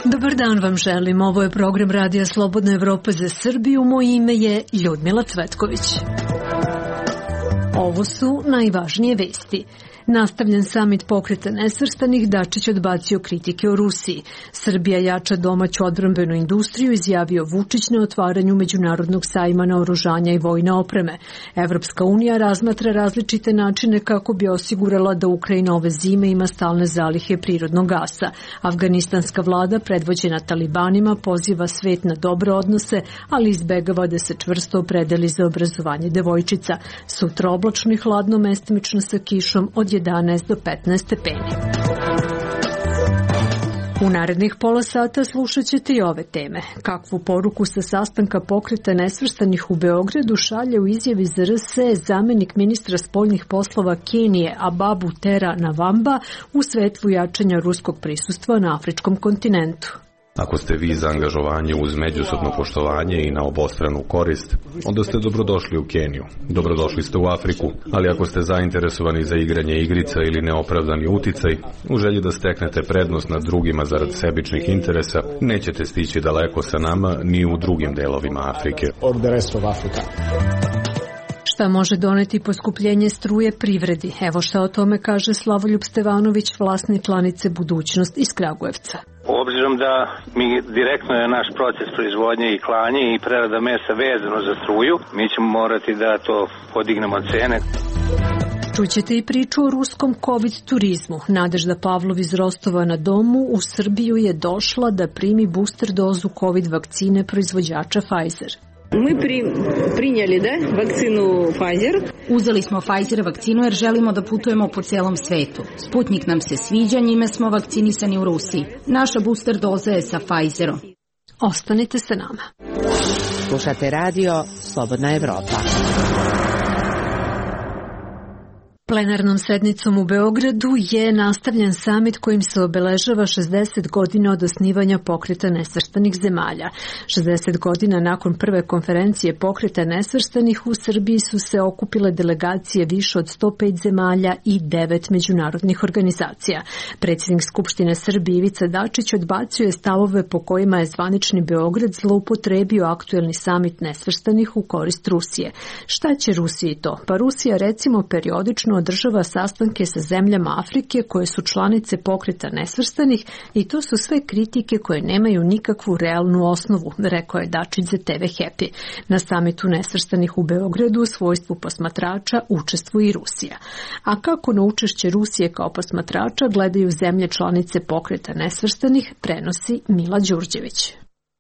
Dobar dan vam želim, ovo je program Radija Slobodna Evropa za Srbiju, moje ime je Ljudmila Cvetković. Ovo su najvažnije vesti. Nastavljen samit Pokreta nesvrstanih, Dačić odbacio kritike o Rusiji. Srbija jača domaću odbrambenu industriju, izjavio Vučić na otvaranju Međunarodnog sajma naoružanja i vojne opreme. Evropska unija razmatra različite načine kako bi osigurala da Ukrajina ove zime ima stalne zalihe prirodnog gasa. Afganistanska vlada, predvođena talibanima, poziva svet na dobre odnose, ali izbegava da se čvrsto opredeli za obrazovanje devojčica. Sutra oblačno i hladno, mestimično sa kišom od 11 do 15 stepeni. U narednih pola sata slušat ćete i ove teme. Kakvu poruku sa sastanka Pokreta nesvrstanih u Beogradu šalje u izjavi za RS zamenik ministra spoljnih poslova Kenije Ababu Tera Navamba u svetlu jačanja ruskog prisustva na afričkom kontinentu. Ako ste vi za angažovanje uz međusobno poštovanje i na obostranu korist, onda ste dobrodošli u Keniju, dobrodošli ste u Afriku, ali ako ste zainteresovani za igranje igrica ili neopravdani uticaj, u želji da steknete prednost nad drugima zarad sebičnih interesa, nećete stići daleko sa nama ni u drugim delovima Afrike. Šta može doneti poskupljenje struje privredi? Evo šta o tome kaže Slavoljub Stevanović, vlasnik klanice Budućnost iz Kragujevca. Obzirom da mi direktno je naš proces proizvodnje i klanje i prerada mesa vezano za struju, mi ćemo morati da to podignemo cene. Čućete i priču o ruskom COVID turizmu. Nadežda Pavlov iz Rostova na Domu u Srbiju je došla da primi booster dozu COVID vakcine proizvođača Pfizer. Mi prinjeli vakcinu Pfizer. Uzeli smo Pfizer vakcinu jer želimo da putujemo po celom svetu. Sputnik nam se sviđa, njime smo vakcinisani u Rusiji. Naša booster doza je sa Pfizerom. Ostanite sa nama. Slušate radio Slobodna Evropa. Plenarnom sednicom u Beogradu je nastavljen samit kojim se obeležava 60 godina od osnivanja Pokreta nesvrstanih zemalja. 60 godina nakon prve konferencije Pokreta nesvrstanih u Srbiji su se okupile delegacije više od 105 zemalja i 9 međunarodnih organizacija. Predsjednik Skupštine Srbije Ivica Dačić odbacio je stavove po kojima je zvanični Beograd zloupotrebio aktuelni samit nesvrstanih u korist Rusije. Šta će Rusiji to? Pa Rusija recimo periodično održava sastanke sa zemljama Afrike koje su članice Pokreta nesvrstanih i to su sve kritike koje nemaju nikakvu realnu osnovu, rekao je Dačić za TV Happy. Na samitu nesvrstanih u Beogradu u svojstvu posmatrača učestvuje i Rusija. A kako na učešće Rusije kao posmatrača gledaju zemlje članice Pokreta nesvrstanih, prenosi Mila Đurđević.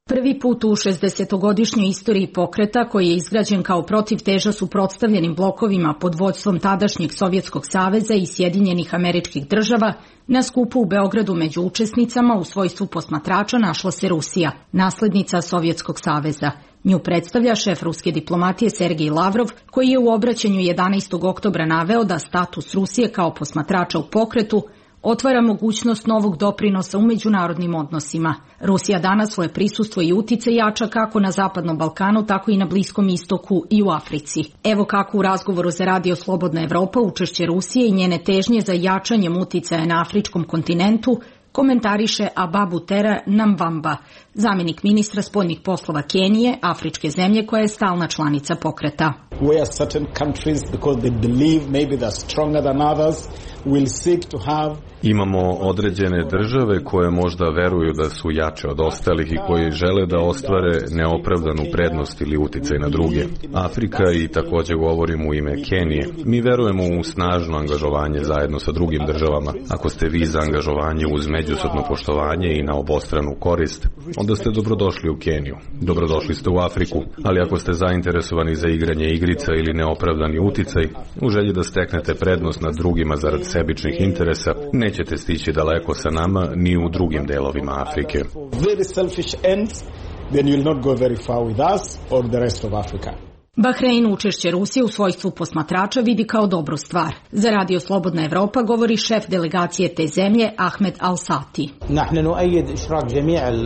Prvi put u 60-godišnjoj istoriji pokreta, koji je izgrađen kao protivteža suprotstavljenim blokovima pod vođstvom tadašnjeg Sovjetskog saveza i Sjedinjenih Američkih Država, na skupu u Beogradu među učesnicama u svojstvu posmatrača našla se Rusija, naslednica Sovjetskog saveza. Nju predstavlja šef ruske diplomatije Sergej Lavrov, koji je u obraćanju 11. oktobra naveo da status Rusije kao posmatrača u pokretu otvara mogućnost novog doprinosa u međunarodnim odnosima. Rusija danas svoje prisustvo i uticaj jača kako na Zapadnom Balkanu, tako i na Bliskom istoku i u Africi. Evo kako u razgovoru za Radio Slobodna Evropa učešće Rusije i njene težnje za jačanjem uticaja na afričkom kontinentu komentariše Ababu Tera Navamba, zamjenik ministra spoljnih poslova Kenije, afričke zemlje koja je stalna članica pokreta. Where certain countries, because they believe maybe they're stronger than others, will seek to have. Imamo određene države koje možda veruju da su jače od ostalih i koji žele da ostvare neopravdanu prednost ili uticaj na druge. Afrika i također govorim u ime Kenije. Mi verujemo u snažno angažovanje zajedno sa drugim državama. Ako ste vi za angažovanje uz međusobno poštovanje i na obostranu korist, onda ste dobrodošli u Keniju, dobrodošli ste u Afriku, ali ako ste zainteresovani za igranje igrica ili neopravdani uticaj, u želji da steknete prednost nad drugima zarad sebičnih interesa, nećete stići daleko sa nama ni u drugim delovima Afrike. Bahrein učešće Rusije u svojstvu posmatrača vidi kao dobru stvar. Za Radio Slobodna Evropa govori šef delegacije te zemlje Ahmed Al-Sati.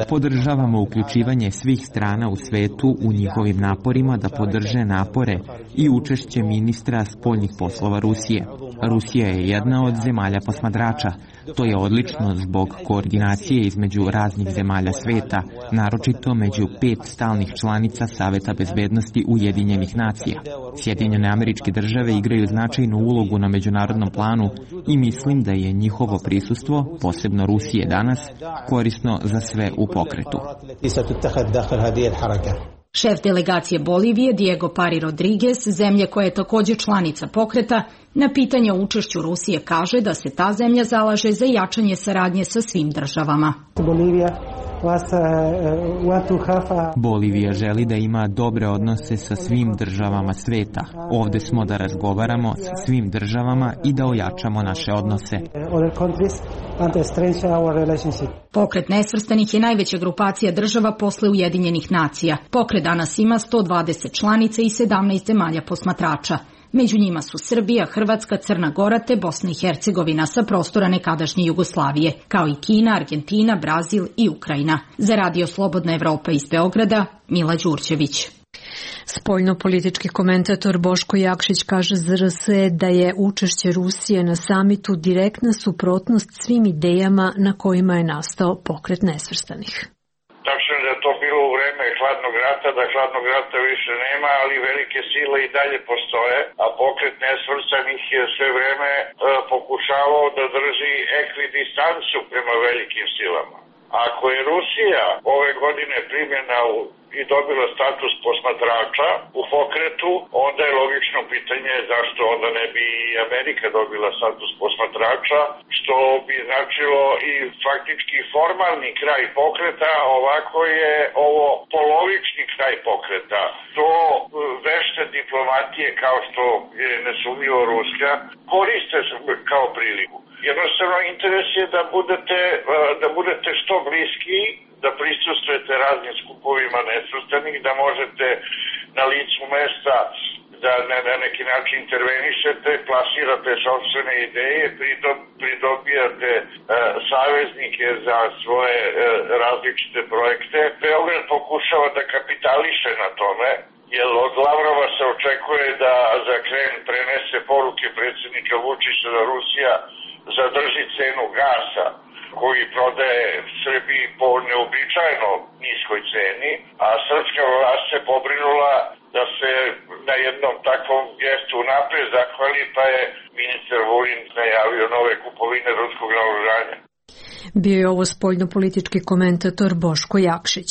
Podržavamo uključivanje svih strana u svetu u njihovim naporima da podrže napore i učešće ministra spoljnih poslova Rusije. Rusija je jedna od zemalja posmatrača. To je odlično zbog koordinacije između raznih zemalja sveta, naročito među 5 stalnih članica Saveta bezbednosti Ujedinjenih nacija. Sjedinjene Američke Države igraju značajnu ulogu na međunarodnom planu i mislim da je njihovo prisustvo, posebno Rusije danas, korisno za sve u pokretu. Šef delegacije Bolivije Diego Pari Rodriguez, zemlje koja je također članica pokreta, na pitanje o učešću Rusije kaže da se ta zemlja zalaže za jačanje saradnje sa svim državama. Bolivija želi da ima dobre odnose sa svim državama sveta. Ovde smo da razgovaramo sa svim državama i da ojačamo naše odnose. Pokret nesvrstanih je najveća grupacija država posle Ujedinjenih nacija. Pokret danas ima 120 članica i 17 zemalja posmatrača. Među njima su Srbija, Hrvatska, Crna Gora te Bosna i Hercegovina sa prostora nekadašnje Jugoslavije, kao i Kina, Argentina, Brazil i Ukrajina. Za Radio Slobodna Evropa iz Beograda, Mila Đurđević. Spoljno-politički komentator Boško Jakšić kaže za RS da je učešće Rusije na samitu direktna suprotnost svim idejama na kojima je nastao pokret nesvrstanih. Tačno je da je to bilo u vreme hladnog rata, da hladnog rata više nema, ali velike sile i dalje postoje, a pokret nesvrstanih je sve vreme pokušavao da drži ekvidistancu prema velikim silama. Ako je Rusija ove godine primljena i dobila status posmatrača u pokretu, onda je logično pitanje zašto onda ne bi i Amerika dobila status posmatrača, što bi značilo i faktički formalni kraj pokreta, ovako je ovo polovični kraj pokreta. To vešte diplomatije, kao što je nesumnjivo ruska, koriste kao priliku. Jednostavno interes je da budete što bliski, da prisustvujete raznim skupovima nesvrstanih, da možete na licu mesta da na neki način intervenišete, plasirate sopstvene ideje, pridobijate saveznike za svoje različite projekte. Beograd pokušava da kapitališe na tome, jer od Lavrova se očekuje da za Kreml prenese poruke predsjednika Vučića da Rusija zadrži cenu gasa koji prodaje Srbiji po neobičajno niskoj ceni, a srpska vlast se pobrinula da se na jednom takvom gestu napred zahvali, pa je ministar Vulin najavio nove kupovine ruskog naoružanja. Bio je ovo spoljno-politički komentator Boško Jakšić.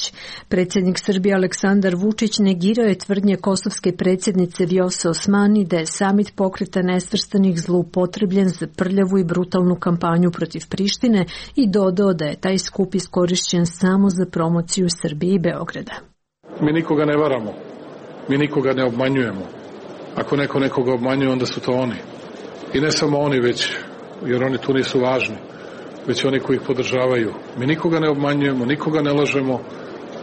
Predsjednik Srbije Aleksandar Vučić negirao je tvrdnje kosovske predsjednice Vjose Osmani da je samit pokreta nesvrstanih zloupotrebljen za prljavu i brutalnu kampanju protiv Prištine i dodao da je taj skup iskorišćen samo za promociju Srbije i Beograda. Mi nikoga ne varamo, mi nikoga ne obmanjujemo. Ako neko nekoga obmanjuje, onda su to oni. I ne samo oni, već, jer oni tu nisu važni, već oni koji ih podržavaju. Mi nikoga ne obmanjujemo, nikoga ne lažemo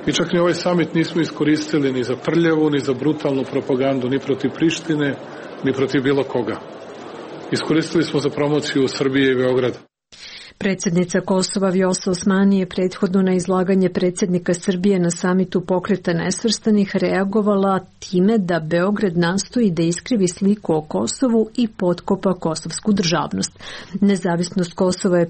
i čak ni ovaj samit nismo iskoristili ni za prljavu, ni za brutalnu propagandu, ni protiv Prištine, ni protiv bilo koga. Iskoristili smo za promociju Srbije i Beograda. Predsjednica Kosova Vjosa Osmani je prethodno na izlaganje predsjednika Srbije na samitu pokreta nesvrstanih reagovala time da Beograd nastoji da iskrivi sliku o Kosovu i potkopa kosovsku državnost. Nezavisnost Kosova je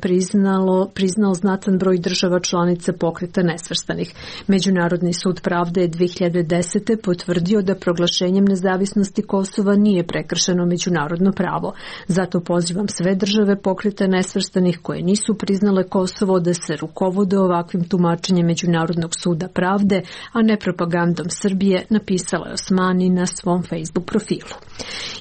priznao znatan broj država članica pokreta nesvrstanih. Međunarodni sud pravde je 2010. potvrdio da proglašenjem nezavisnosti Kosova nije prekršeno međunarodno pravo. Zato pozivam sve države pokreta nesvrstanih koje nisu priznale Kosovo da se rukovode ovakvim tumačenjem Međunarodnog suda pravde, a ne propagandom Srbije, napisala je Osmani na svom Facebook profilu.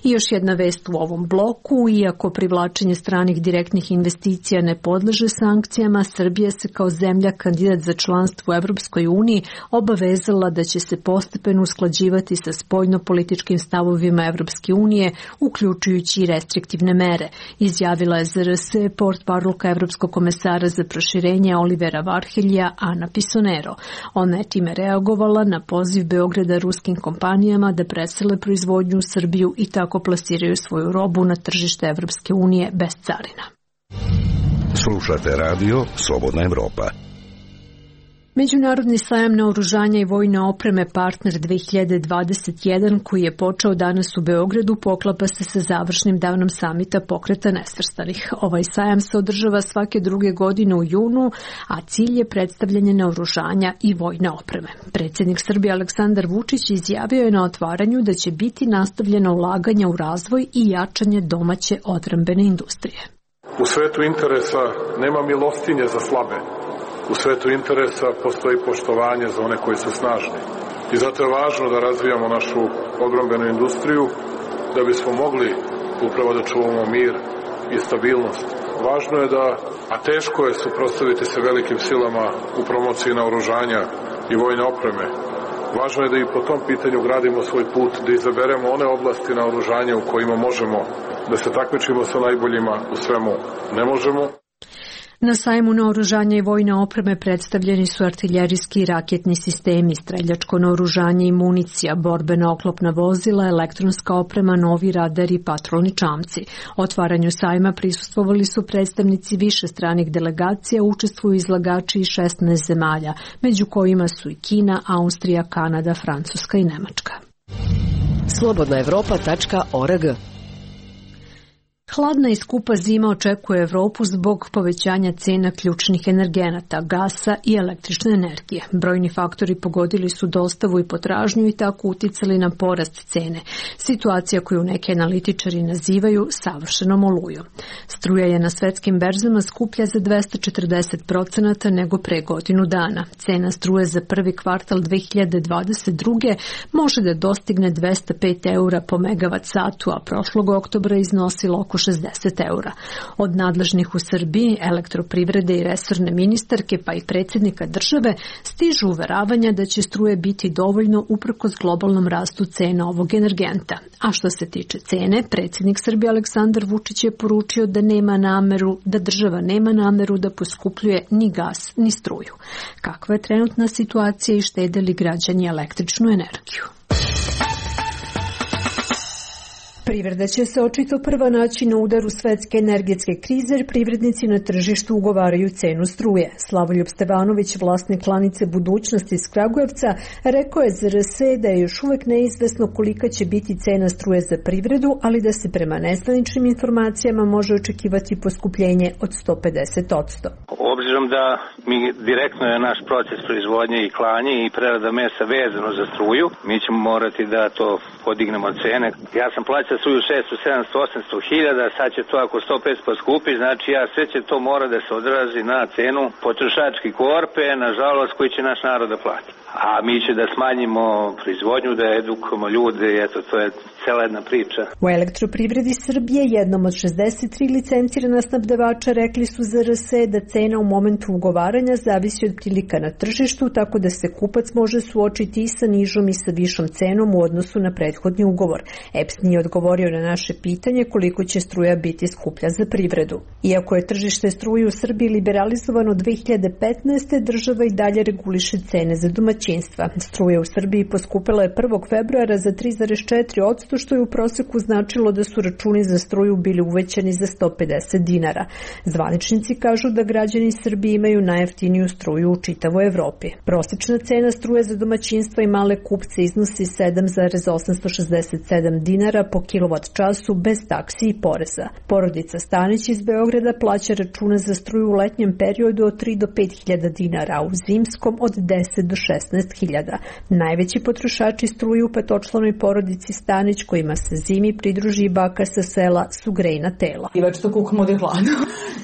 I još jedna vest u ovom bloku, iako privlačenje stranih direktnih investicija ne podleže sankcijama, Srbija se kao zemlja kandidat za članstvo u Evropskoj uniji obavezala da će se postepeno usklađivati sa spoljno-političkim stavovima Evropske unije, uključujući i restriktivne mere, izjavila je za RS portparolka Evropske evropskog komesara za proširenje Olivera Varheljija Ana Pisonero. Ona je time reagovala na poziv Beograda ruskim kompanijama da presele proizvodnju u Srbiju i tako plasiraju svoju robu na tržište Evropske unije bez carina. Slušate radio Slobodna Evropa. Međunarodni sajam naoružanja i vojne opreme Partner 2021, koji je počeo danas u Beogradu, poklapa se sa završnim danom samita Pokreta nesvrstanih. Ovaj sajam se održava svake druge godine u junu, a cilj je predstavljanje naoružanja i vojne opreme. Predsjednik Srbije Aleksandar Vučić izjavio je na otvaranju da će biti nastavljeno ulaganje u razvoj i jačanje domaće odbrambene industrije. U svetu interesa nema milostinje za slabe. U svetu interesa postoji poštovanje za one koji su snažni. I zato je važno da razvijamo našu odbrambenu industriju da bismo mogli upravo da čuvamo mir i stabilnost. Važno je da, a teško je suprotstaviti se velikim silama u promociji naoružanja i vojne opreme. Važno je da i po tom pitanju gradimo svoj put, da izaberemo one oblasti naoružanja u kojima možemo da se takmičimo sa najboljima, u svemu ne možemo. Na sajmu naoružanja i vojne opreme predstavljeni su artiljerijski i raketni sistemi, streljačko naoružanje i municija, borbena oklopna vozila, elektronska oprema, novi radari i patrolni čamci. Otvaranju sajma prisustvovali su predstavnici više stranih delegacija, učestvuju izlagači iz 16 zemalja, među kojima su i Kina, Austrija, Kanada, Francuska i Nemačka. Slobodnaevropa.org. Hladna i skupa zima očekuje Evropu zbog povećanja cena ključnih energenata, gasa i električne energije. Brojni faktori pogodili su dostavu i potražnju i tako uticali na porast cene. Situacija koju neki analitičari nazivaju savršenom olujom. Struja je na svetskim berzama skuplja za 240% nego pre godinu dana. Cena struje za prvi kvartal 2022. može da dostigne 205 eura po megavat satu, a prošlog oktobra iznosilo oko 60 eura. Od nadležnih u Srbiji, elektroprivrede i resorne ministarke pa i predsjednika države stižu uveravanja da će struje biti dovoljno uprkos globalnom rastu cena ovog energenta. A što se tiče cene, predsjednik Srbije Aleksandar Vučić je poručio da država nema nameru da poskupljuje ni gas ni struju. Kakva je trenutna situacija i štede li građani električnu energiju? Privreda će se očito prva naći na udaru svetske energetske krize jer privrednici na tržištu ugovaraju cenu struje. Slavoljub Stevanović, vlasnik klanice Budućnosti iz Kragujevca, rekao je za RS da je još uvek neizvesno kolika će biti cena struje za privredu, ali da se prema nezvaničnim informacijama može očekivati poskupljenje od 150%. Obzirom da mi direktno je naš proces proizvodnje i klanje i prerada mesa vezano za struju, mi ćemo morati da to podignemo cene. Ja sam plaćao struju 600, 700, 800 hiljada, sad će to ako 150 poskupi, znači sve će to mora da se odrazi na cenu potrošačke korpe, nažalost koji će naš narod da plati. A mi će da smanjimo proizvodnju, da edukujemo ljude, eto to je cela jedna priča. U Elektroprivredi Srbije, jednom od 63 licencirana snabdevača, rekli su za RS da cena u momentu ugovaranja zavisi od prilika na tržištu, tako da se kupac može suočiti i sa nižom i sa višom cenom u odnosu na prethodni ugovor. EPS nije odgovorio na naše pitanje koliko će struja biti skuplja za privredu. Iako je tržište struje u Srbiji liberalizovano 2015. država i dalje reguliše cene za domaćinstva. Struja u Srbiji poskupela je 1. februara za 3,4%, što je u proseku značilo da su računi za struju bili uvećani za 150 dinara. Zvaničnici kažu da građani Srbije imaju najjeftiniju struju u čitavoj Evropi. Prosečna cena struje za domaćinstva i male kupce iznosi 7,867 dinara po kilovat času bez taksi i poreza. Porodica Stanić iz Beograda plaća račune za struju u letnjem periodu od 3 do 5 hiljada dinara, a u zimskom od 10 do 16 hiljada. Najveći potrošači struje u petočlanoj porodici Stanić, kojima se zimi pridruži i baka sa sela, su grejna tela. I već to kukamo da je hladno.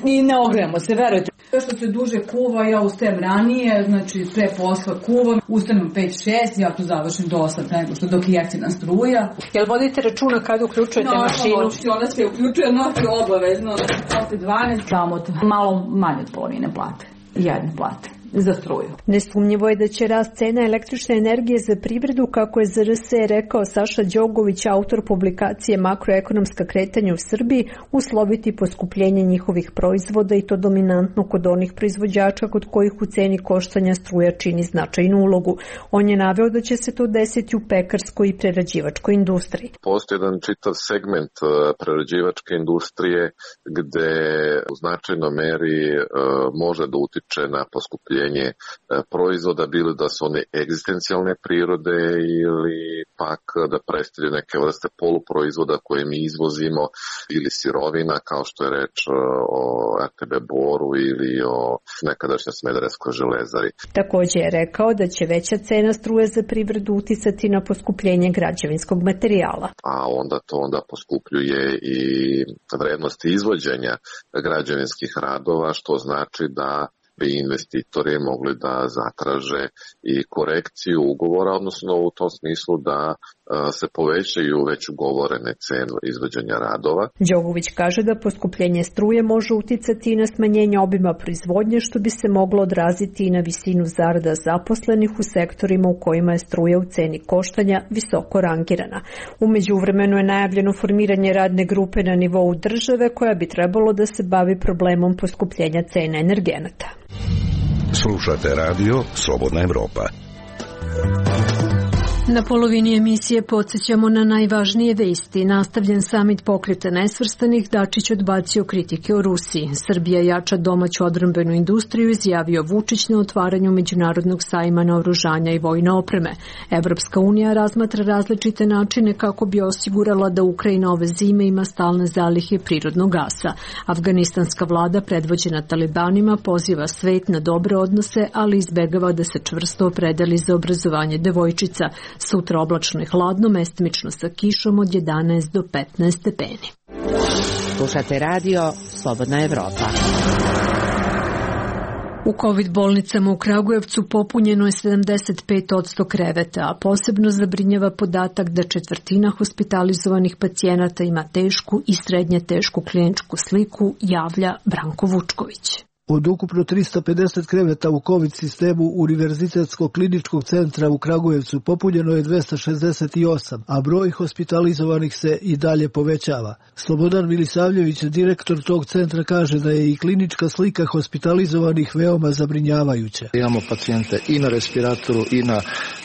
I ne ogrejemo se, verujete. Što se duže kuva, ja ustajem ranije, znači pre posla kuvam, ustanem 5-6, ja tu završim do 8 nego što dok je jeftina struja. Jel vodite računa kada uključujete mašinu? Ona se uključuje noću obavezno, posle 12, samo malo manje od polovine plate, jedne plate. za struju. Nesumnjivo je da će rast cena električne energije za privredu, kako je za RS rekao Saša Đogović, autor publikacije Makroekonomska kretanja u Srbiji, usloviti poskupljenje njihovih proizvoda i to dominantno kod onih proizvođača kod kojih u ceni koštanja struja čini značajnu ulogu. On je naveo da će se to desiti u pekarskoj i prerađivačkoj industriji. Postoji jedan čitav segment prerađivačke industrije gde u značajnoj meri može da utiče na poskupljenje proizvoda, bilo da su one egzistencijalne prirode ili pak da predstavljaju neke vrste poluproizvoda koje mi izvozimo ili sirovina, kao što je reč o RTB Boru ili o nekadašnjoj Smederevskoj železari. Također je rekao da će veća cena struje za privredu uticati na poskupljenje građevinskog materijala. A onda poskupljuje i vrednost izvođenja građevinskih radova, što znači da bi investitori mogli da zatraže i korekciju ugovora, odnosno u tom smislu da se povećaju već ugovorene cene izvođenja radova. Đogović kaže da poskupljenje struje može uticati i na smanjenje obima proizvodnje, što bi se moglo odraziti i na visinu zarada zaposlenih u sektorima u kojima je struja u ceni koštanja visoko rangirana. U međuvremenu je najavljeno formiranje radne grupe na nivou države koja bi trebalo da se bavi problemom poskupljenja cena energenata. Slušate radio Slobodna Evropa. Na polovini emisije podsjećamo na najvažnije vesti. Nastavljen samit Pokreta nesvrstanih, Dačić odbacio kritike o Rusiji. Srbija jača domaću odbrambenu industriju, izjavio Vučić na otvaranju međunarodnog sajma naoružanja i vojne opreme. Evropska unija razmatra različite načine kako bi osigurala da Ukrajina ove zime ima stalne zalihe prirodnog gasa. Afganistanska vlada predvođena talibanima poziva svet na dobre odnose, ali izbegava da se čvrsto opredeli za obrazovanje devojčica. Sutra oblačno i hladno, mestimično sa kišom od 11 do 15 stepeni. Slušate radio Slobodna Evropa. U COVID bolnicama u Kragujevcu popunjeno je 75% kreveta, a posebno zabrinjava podatak da četvrtina hospitalizovanih pacijenata ima tešku i srednje tešku kliničku sliku, javlja Branko Vučković. Od ukupno 350 kreveta u COVID sistemu Univerzitetskog kliničkog centra u Kragujevcu popunjeno je 268, a broj hospitalizovanih se i dalje povećava. Slobodan Milisavljević, direktor tog centra, kaže da je i klinička slika hospitalizovanih veoma zabrinjavajuća. Imamo pacijente i na respiratoru i na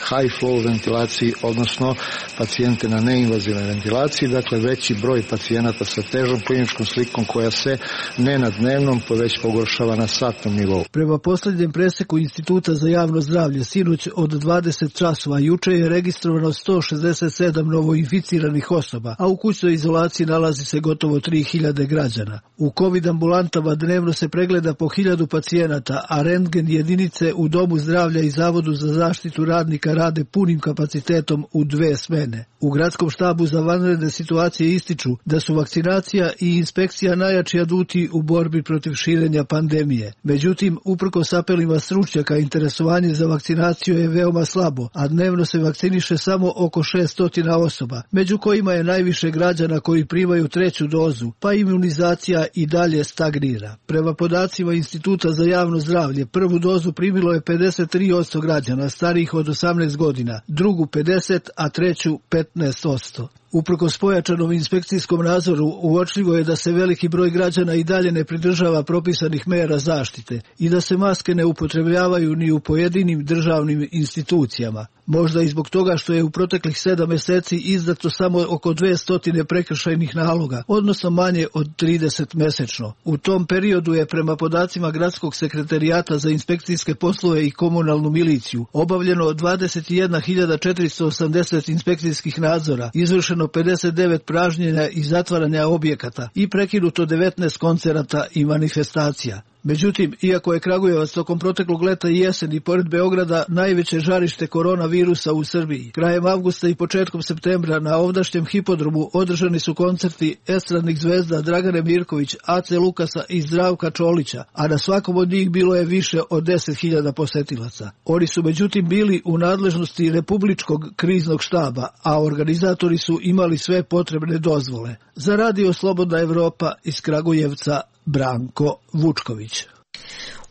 high flow ventilaciji, odnosno pacijente na neinvazivnoj ventilaciji, dakle veći broj pacijenata sa težom kliničkom slikom koja se ne na dnevnom, već pogoršava na satnom nivou. Prema posljednjem preseku Instituta za javno zdravlje, sinoć od 20 časova juče je registrovano 167 novoinficiranih osoba, a u kućnoj izolaciji nalazi se gotovo 3000 građana. U COVID ambulantama dnevno se pregleda po 1000 pacijenata, a rentgen jedinice u Domu zdravlja i Zavodu za zaštitu radnika rade punim kapacitetom u 2 smene. U gradskom štabu za vanredne situacije ističu da su vakcinacija i inspekcija najjači aduti u borbi protiv širenja pandemije. Međutim, uprkos apelima stručnjaka, interesovanje za vakcinaciju je veoma slabo, a dnevno se vakciniše samo oko 600 osoba, među kojima je najviše građana koji primaju 3. dozu, pa imunizacija i dalje stagnira. Prema podacima Instituta za javno zdravlje, 1. dozu primilo je 53% građana starijih od 18 godina, drugu 50%, a 3. 15%. Uprkos pojačanom inspekcijskom nadzoru, uočljivo je da se veliki broj građana i dalje ne pridržava propisanih mera zaštite i da se maske ne upotrebljavaju ni u pojedinim državnim institucijama. Možda i zbog toga što je u proteklih 7 meseci izdato samo oko 200 prekršajnih naloga, odnosno manje od 30 mesečno. U tom periodu je prema podacima Gradskog sekretarijata za inspekcijske poslove i komunalnu miliciju obavljeno 21.480 inspekcijskih nadzora, izvršeno 59 pražnjenja i zatvaranja objekata i prekinuto 19 koncerata i manifestacija. Međutim, iako je Kragujevac tokom proteklog leta i jeseni pored Beograda najveće žarište koronavirusa u Srbiji, krajem avgusta i početkom septembra na ovdašnjem hipodromu održani su koncerti estradnih zvezda Dragane Mirković, Ace Lukasa i Zdravka Čolića, a na svakom od njih bilo je više od 10.000 posetilaca. Oni su međutim bili u nadležnosti Republičkog kriznog štaba, a organizatori su imali sve potrebne dozvole. Za radio Slobodna Evropa iz Kragujevca, Branko Vučković.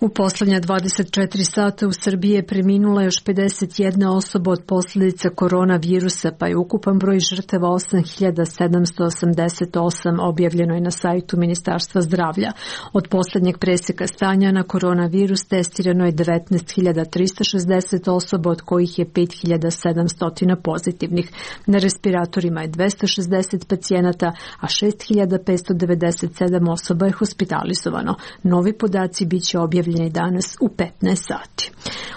U poslednja 24 sata u Srbiji je preminula još 51 osoba od posljedica koronavirusa, pa je ukupan broj žrtava 8788, objavljeno je na sajtu Ministarstva zdravlja. Od poslednjeg preseka stanja na koronavirus testirano je 19.360 osoba, od kojih je 5.700 pozitivnih. Na respiratorima je 260 pacijenata, a 6.597 osoba je hospitalizovano. Novi podaci biće objavljeni danas u 15 sati.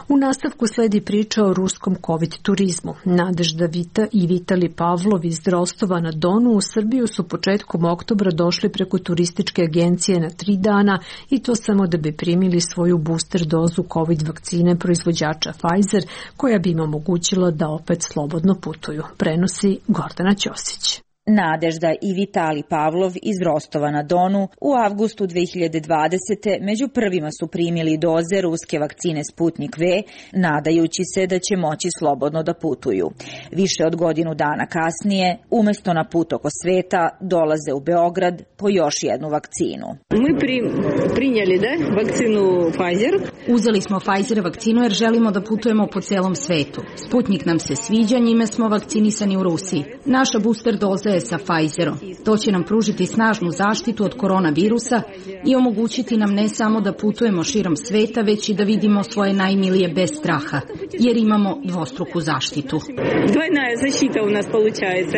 U nastavku sledi priča o ruskom COVID turizmu. Nadežda Vita i Vitali Pavlov iz Rostova na Donu u Srbiju su početkom oktobra došli preko turističke agencije na 3 dana i to samo da bi primili svoju booster dozu COVID vakcine proizvođača Pfizer, koja bi im omogućila da opet slobodno putuju. Prenosi Gordana Ćosić. Nadežda i Vitali Pavlov iz Rostova na Donu u avgustu 2020. među prvima su primili doze ruske vakcine Sputnik V, nadajući se da će moći slobodno da putuju. Više od godinu dana kasnije, umesto na put oko sveta, dolaze u Beograd po još jednu vakcinu. Mi prinjeli vakcinu Pfizer. Uzeli smo Pfizer vakcinu jer želimo da putujemo po celom svetu. Sputnik nam se sviđa, njime smo vakcinisani u Rusiji. Naša booster doza je sa Pfizerom. To će nam pružiti snažnu zaštitu od koronavirusa i omogućiti nam ne samo da putujemo širom sveta, već i da vidimo svoje najmilije bez straha, jer imamo dvostruku zaštitu. Dvojna zaštita u nas получается.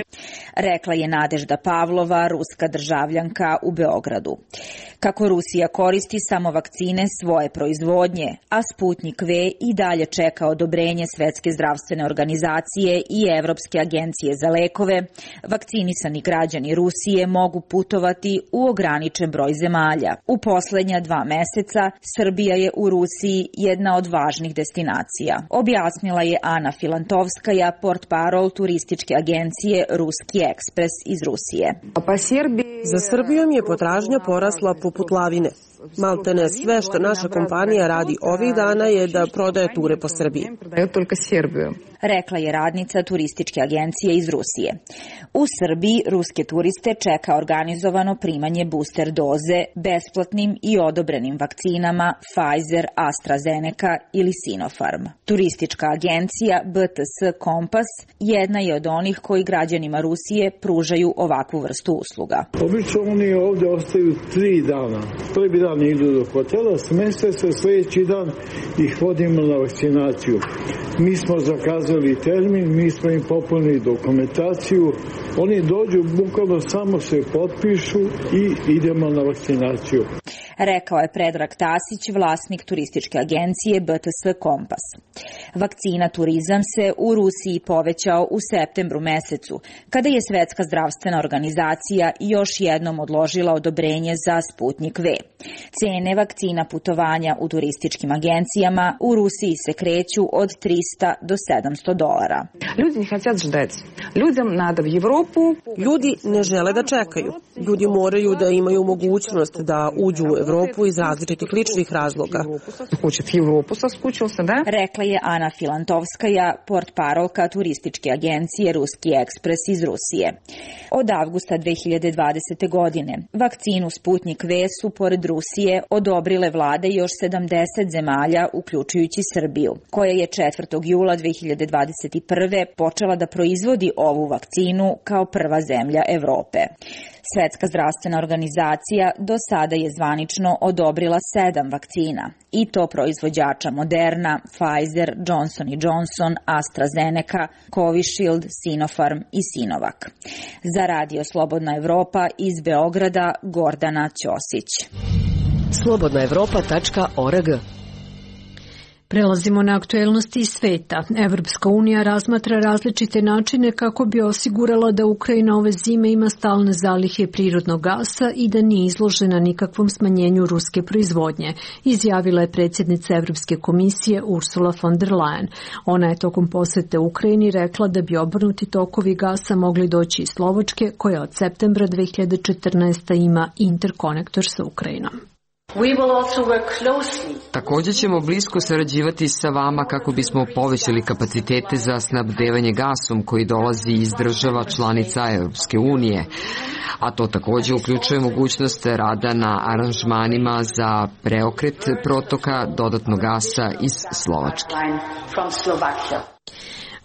Rekla je Nadežda Pavlova, ruska državljanka u Beogradu. Kako Rusija koristi samo vakcine svoje proizvodnje, a Sputnik V i dalje čeka odobrenje Svetske zdravstvene organizacije i Evropske agencije za lekove, vakcinisani građani Rusije mogu putovati u ograničen broj zemalja. U poslednja 2 meseca Srbija je u Rusiji jedna od važnih destinacija, objasnila je Ana Filantovskaja, portparol turističke agencije Ruski ekspres iz Rusije. Za Srbijom je potražnja porasla poput lavine. Maltene sve što naša kompanija radi ovih dana je da prodaje ture po Srbiji. Rekla je radnica turističke agencije iz Rusije. U Srbiji ruske turiste čeka organizovano primanje booster doze besplatnim i odobrenim vakcinama Pfizer, AstraZeneca ili Sinopharm. Turistička agencija BTS Kompas jedna je od onih koji građanima Rusije pružaju ovakvu vrstu usluga. Obično oni ovde ostaju 3 dana. Prvi dan idu do hotela, smeste se, sljedeći dan ih vodimo na vakcinaciju. Mi smo zakazali termin, mi smo im popunili dokumentaciju, oni dođu, bukvalno samo se potpišu i idemo na vakcinaciju. Rekao je Predrag Tasić, vlasnik turističke agencije BTS Kompas. Vakcina turizam se u Rusiji povećao u septembru mesecu, kada je Svetska zdravstvena organizacija još jednom odložila odobrenje za Sputnik V. Cene vakcina putovanja u turističkim agencijama u Rusiji se kreću od $300 do $700. Ljudi ne žele da čekaju. Ljudi moraju da imaju mogućnost da uđu u Evropu iz različitih ličnih razloga. Rekla je Ana Filantovskaja, portparolka turističke agencije Ruski ekspres iz Rusije. Od avgusta 2020. godine vakcinu Sputnik V su pored Rusije odobrile vlade još 70 zemalja, uključujući Srbiju, koja je 4. jula 2021. počela da proizvodi ovu vakcinu kao prva zemlja Evrope. Svetska zdravstvena organizacija do sada je zvanično odobrila 7 vakcina, i to proizvođača Moderna, Pfizer, Johnson & Johnson, AstraZeneca, Covishield, Sinopharm i Sinovac. Za Radio Slobodna Evropa iz Beograda, Gordana Ćosić. slobodnaevropa.org. Prelazimo na aktuelnosti iz sveta. Evropska unija razmatra različite načine kako bi osigurala da Ukrajina ove zime ima stalne zalihe prirodnog gasa i da nije izložena nikakvom smanjenju ruske proizvodnje, izjavila je predsjednica Evropske komisije Ursula von der Leyen. Ona je tokom posete Ukrajini rekla da bi obrnuti tokovi gasa mogli doći iz Slovačke, koja od septembra 2014. ima interkonektor sa Ukrajinom. Također ćemo blisko sarađivati sa vama kako bismo povećali kapacitete za snabdevanje gasom koji dolazi iz država članica Europske unije, a to također uključuje mogućnost rada na aranžmanima za preokret protoka dodatnog gasa iz Slovačke.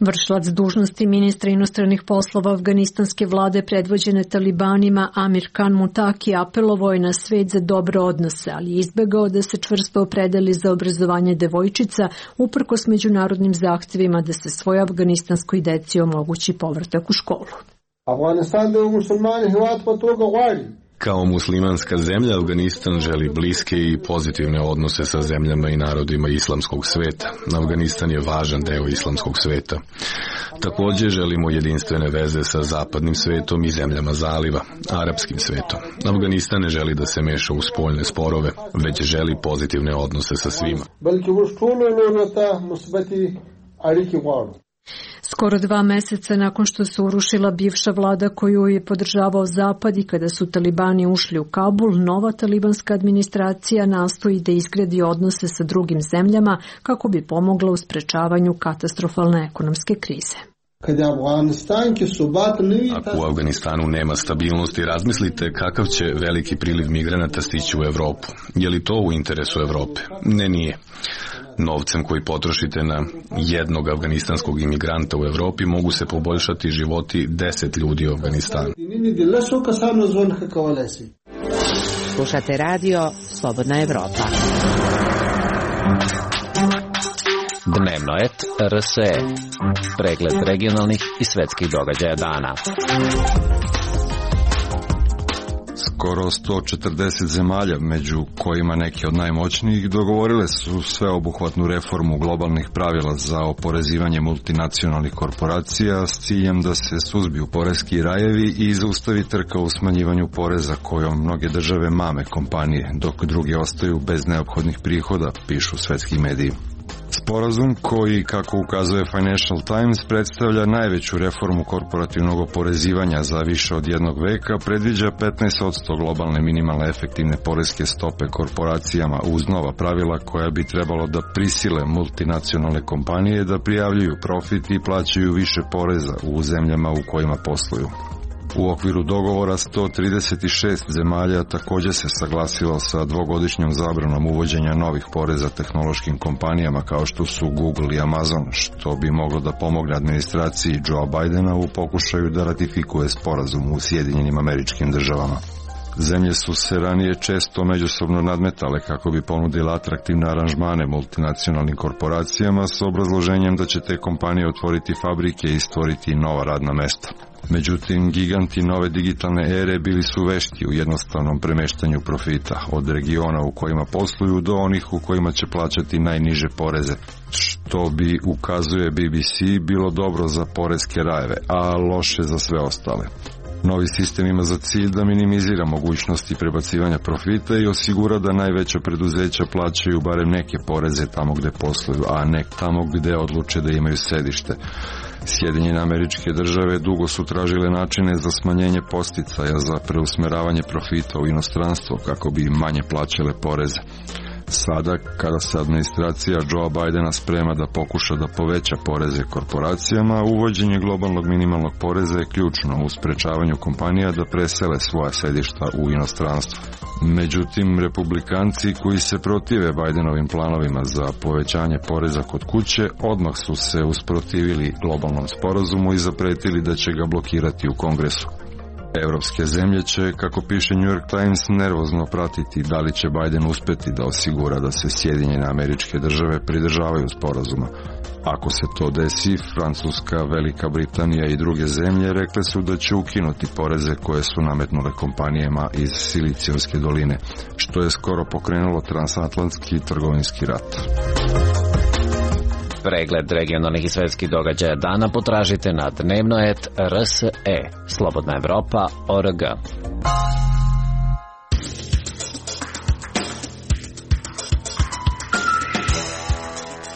Vršilac dužnosti ministra inostranih poslova afganistanske vlade predvođene talibanima Amir Khan Mutaki apelovao je na svet za dobre odnose, ali je izbegao da se čvrsto opredeli za obrazovanje devojčica uprkos međunarodnim zahtjevima da se svoj afganistanskoj deci omogući povratak u školu. Kao muslimanska zemlja, Afganistan želi bliske i pozitivne odnose sa zemljama i narodima islamskog sveta. Afganistan je važan deo islamskog sveta. Također želimo jedinstvene veze sa zapadnim svetom i zemljama zaliva, arapskim svetom. Afganistan ne želi da se meša u spoljne sporove, već želi pozitivne odnose sa svima. Skoro 2 meseca nakon što se urušila bivša vlada koju je podržavao Zapad i kada su talibani ušli u Kabul, nova talibanska administracija nastoji da izgradi odnose sa drugim zemljama kako bi pomogla u sprečavanju katastrofalne ekonomske krize. Ako u Afganistanu nema stabilnosti, razmislite kakav će veliki priliv migranata stići u Evropu. Je li to u interesu Evrope? Ne, nije. Novcem koji potrošite na jednog afganistanskog imigranta u Evropi mogu se poboljšati životi 10 ljudi u Afganistanu. Slušate radio Slobodna Evropa. Dnevno et RSE. Pregled regionalnih i svetskih događaja dana. Skoro 140 zemalja, među kojima neki od najmoćnijih, dogovorile su sveobuhvatnu reformu globalnih pravila za oporezivanje multinacionalnih korporacija s ciljem da se suzbiju poreski rajevi i zaustavi trka u smanjivanju poreza kojom mnoge države mame kompanije, dok druge ostaju bez neophodnih prihoda, pišu svetski mediji. Sporazum koji, kako ukazuje Financial Times, predstavlja najveću reformu korporativnog oporezivanja za više od jednog veka, predviđa 15% globalne minimalne efektivne poreske stope korporacijama uz nova pravila koja bi trebalo da prisile multinacionalne kompanije da prijavljuju profit i plaćaju više poreza u zemljama u kojima posluju. U okviru dogovora 136 zemalja također se saglasilo sa dvogodišnjom zabranom uvođenja novih poreza tehnološkim kompanijama kao što su Google i Amazon, što bi moglo da pomogne administraciji Joe Bidena u pokušaju da ratifikuje sporazum u Sjedinjenim Američkim Državama. Zemlje su se ranije često međusobno nadmetale kako bi ponudile atraktivne aranžmane multinacionalnim korporacijama s obrazloženjem da će te kompanije otvoriti fabrike i stvoriti nova radna mesta. Međutim, giganti nove digitalne ere bili su vešti u jednostavnom premeštanju profita od regiona u kojima posluju do onih u kojima će plaćati najniže poreze, što bi, ukazuje BBC, bilo dobro za poreske rajeve, a loše za sve ostale. Novi sistem ima za cilj da minimizira mogućnosti prebacivanja profita i osigura da najveća preduzeća plaćaju barem neke poreze tamo gde posluju, a ne tamo gde odluče da imaju sedište. Sjedinjene Američke Države dugo su tražile načine za smanjenje podsticaja za preusmeravanje profita u inostranstvo kako bi manje plaćale poreze. Sada, kada se administracija Joe Bidena sprema da pokuša da poveća poreze korporacijama, uvođenje globalnog minimalnog poreza je ključno u sprečavanju kompanija da presele svoja sedišta u inostranstvo. Međutim, republikanci koji se protive Bidenovim planovima za povećanje poreza kod kuće odmah su se usprotivili globalnom sporazumu i zapretili da će ga blokirati u Kongresu. Evropske zemlje će, kako piše New York Times, nervozno pratiti da li će Biden uspeti da osigura da se Sjedinjene Američke Države pridržavaju sporazuma. Ako se to desi, Francuska, Velika Britanija i druge zemlje rekle su da će ukinuti poreze koje su nametnule kompanijama iz Silicijevske doline, što je skoro pokrenulo transatlantski trgovinski rat. Pregled regionalnih i svetskih događaja dana potražite na dnevno.rs.e. Slobodna Evropa.org.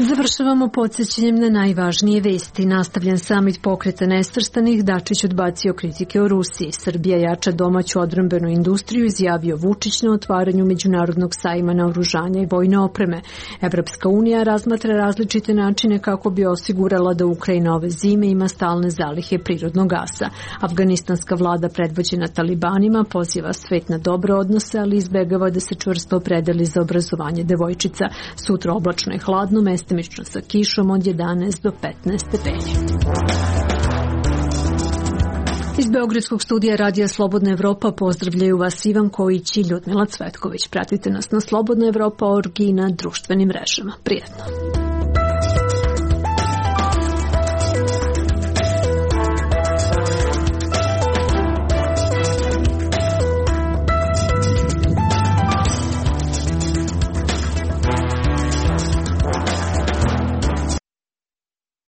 Završavamo podsjećanjem na najvažnije vesti. Nastavljen samit Pokreta nesvrstanih, Dačić odbacio kritike o Rusiji. Srbija jača domaću odbrambenu industriju, izjavio Vučić na otvaranju Međunarodnog sajma naoružanja i vojne opreme. Evropska unija razmatra različite načine kako bi osigurala da Ukrajina ove zime ima stalne zalihe prirodnog gasa. Afganistanska vlada predvođena talibanima poziva svet na dobre odnose, ali izbegava da se čvrsto opredeli za obrazovanje devojčica. Sutra oblačno i hladno, mestimično sa kišom od 11 do 15 stepeni. Iz Beogradskog studija Radija Slobodna Evropa pozdravljaju vas Ivan Kojić i Ljudmila Cvetković. Pratite nas na slobodnaevropa.org i na društvenim mrežama. Prijetno!